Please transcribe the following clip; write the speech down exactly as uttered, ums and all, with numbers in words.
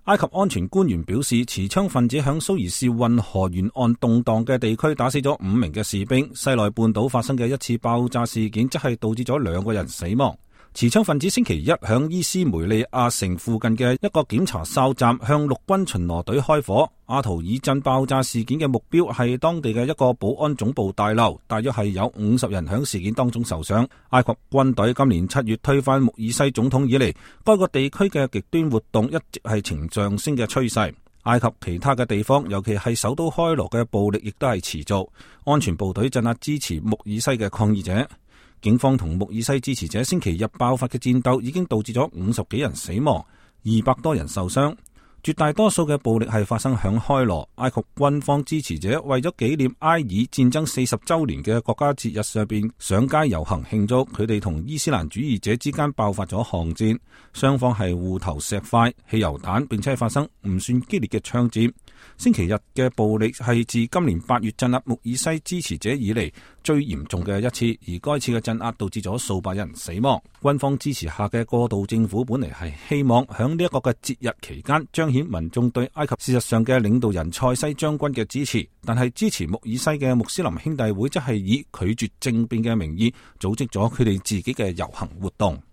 埃及安全官員表示，持槍分子響蘇伊士運河沿岸動盪嘅地區打死咗五名嘅士兵。西奈半島發生嘅一次爆炸事件，則係導致咗兩個人死亡。持槍分子星期一響伊斯梅利亞城附近嘅一個檢查哨站向陸軍巡邏隊開火。阿圖爾鎮爆炸事件嘅目標係當地嘅一個保安總部大樓，大約係有五十人響事件當中受傷。埃及軍隊今年七月推翻穆爾西總統以嚟，該個地區嘅極端活動一直係呈上升嘅趨勢。埃及其他嘅地方，尤其係首都開羅嘅暴力亦都係持續。安全部隊鎮壓支持穆爾西嘅抗議者。警方同穆爾西支持者星期日爆發嘅戰鬥已經導致咗五十幾人死亡，二百多人受傷。絕大多數嘅暴力係發生響開羅。埃及軍方支持者為咗紀念埃爾戰爭四十周年嘅國家節日上邊上街遊行慶祝。佢哋同伊斯蘭主義者之間爆發咗巷戰，雙方係互投石塊、汽油彈，並且係發生唔算激烈嘅槍戰。星期日嘅暴力係自今年八月鎮壓穆爾西支持者以嚟最嚴重嘅一次，而該次嘅鎮壓導致咗數百人死亡。軍方支持下嘅過渡政府本嚟係希望響呢一個嘅節日期間彰顯民眾對埃及事實上嘅領導人塞西將軍嘅支持，但係支持穆爾西嘅穆斯林兄弟會則係以拒絕政變嘅名義組織咗佢哋自己嘅遊行活動。